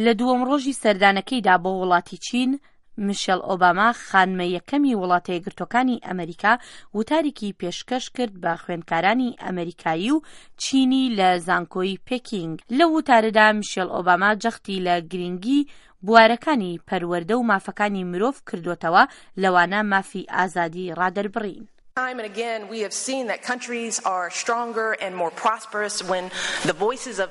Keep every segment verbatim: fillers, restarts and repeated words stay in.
لە دووەم ڕۆژی سەردانەکەیدا بۆ وڵاتی چین، میشێل ئۆباما، خانمە یەکەمی وڵاتە یەکگرتووەکانی ئەمریکا، وتارێکی پێشکەش کرد بە خوێندکارانی ئەمریکایی و چینی لە زانکۆی پێکینگ. لەو وتارەدا میشێل ئۆباما جەختی لە گرنگی بوارەکانی پەروەردە و مافەکانی مرۆڤ کردوتەوە، لەوانە مافی ئازادی ڕادەربڕین. Time and again, we have seen that countries are stronger and more prosperous when the voices of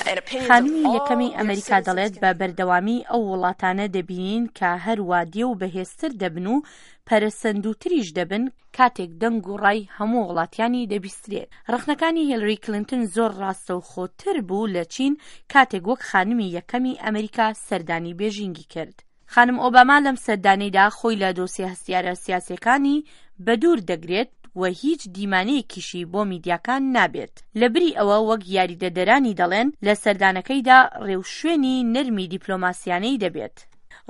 and opinions of خانمی all یەکەمی their ئەمریکا citizens دەڵێت can بە بەردەوامی ئەو وڵاتانە دەبینین کە هەروە دێ و بەهێزتر دەبن و پەرەسەندووتریش دەبن کاتێک دەنگ و ڕای هەموو وڵاتیانی دەبیسترێت. ڕەخنەکانی هیلری کلینتن زۆر ڕاستەوخۆتر بوو لە چین کاتێک وەک خانمی یەکەمی ئەمریکا سەردانی بێژینگی کرد. خانم ئۆباما لەم سەردانەیدا خۆی لە دۆسیە هەستیارە سیاسیەکانی بەدوور دەگرێت و هیچ دیمانەیەکیشی بۆ میدیاکان نابێت. لەبری ئەوە وەک یاریدەدەرانی دەڵێن لە سەردانەکەیدا ڕێوشوێنی نەرمی دیپلۆماسیانەی دەبێت.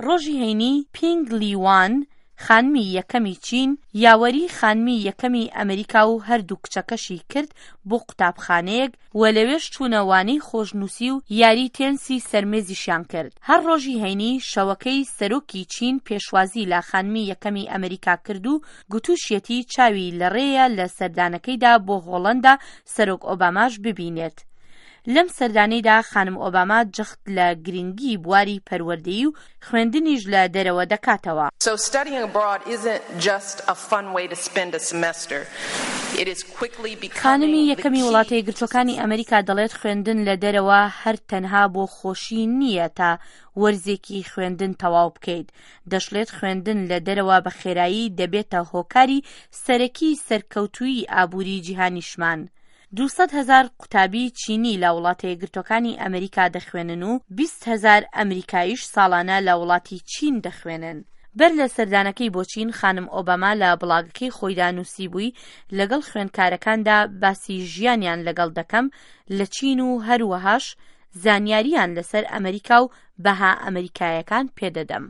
ڕۆژی هەینی پینگ لیوان، خانمی یەکەمی چین، یاوەری خانمی یەکەمی ئەمریکا و هەردوو کچەکەشی کرد بۆ قوتابخانەیەک و لەوێش چوونە وانەی خۆشنووسی و یاری تێنسی سەرمێزیشیان کرد. هەر ڕۆژی هەینی شەوەکەی سەرۆکی چین پێشوازی لە خانمی یەکەمی ئەمریکا کرد و گوتوشیەتی چاوی لە ڕێیە لە سەردانەکەیدا بۆ هۆڵندا سەرۆک ئۆباماش ببینێت. لەم سەردانەیدا خانم ئۆباما جەخت لە گرنگی بواری پەروەردەیی و خوێندنیش لە دەرەوە دەکاتەوە. So studying abroad isn't just a fun way to spend a semester. It is quickly becoming خانمی the یەکەمی key وڵاتە to یەکگرتووەکانی success. ئەمریکا دەڵێت خوێندن لە دەرەوە هەر تەنها بۆ خۆشی نییە تا وەرزێکی خوێندن تەواو بکەیت. دەشڵێت خوێندن لە دەرەوە بە خێرایی دەبێتە هۆکاری سەرەکی سەرکەوتووی ئابووری جیهانیشمان. دووسەد هەزار قوتابی چینی لە وڵاتە یەکگرتووەکانی ئەمریکا دەخوێنن و بیست هەزار ئەمریکاییش ساڵانە لە وڵاتی چین دەخوێنن. بەر لە سەردانەکەی بۆ چین، خانم ئۆباما لە بڵاگەکەی خۆیدا نووسی بووی لەگەڵ خوێندکارەکاندا باسی ژیانیان لەگەڵ دەکەم لە چین و هەروەهاش زانیاریان لەسەر ئەمریکا و بەها ئەمریکایەکان پێدەدەم.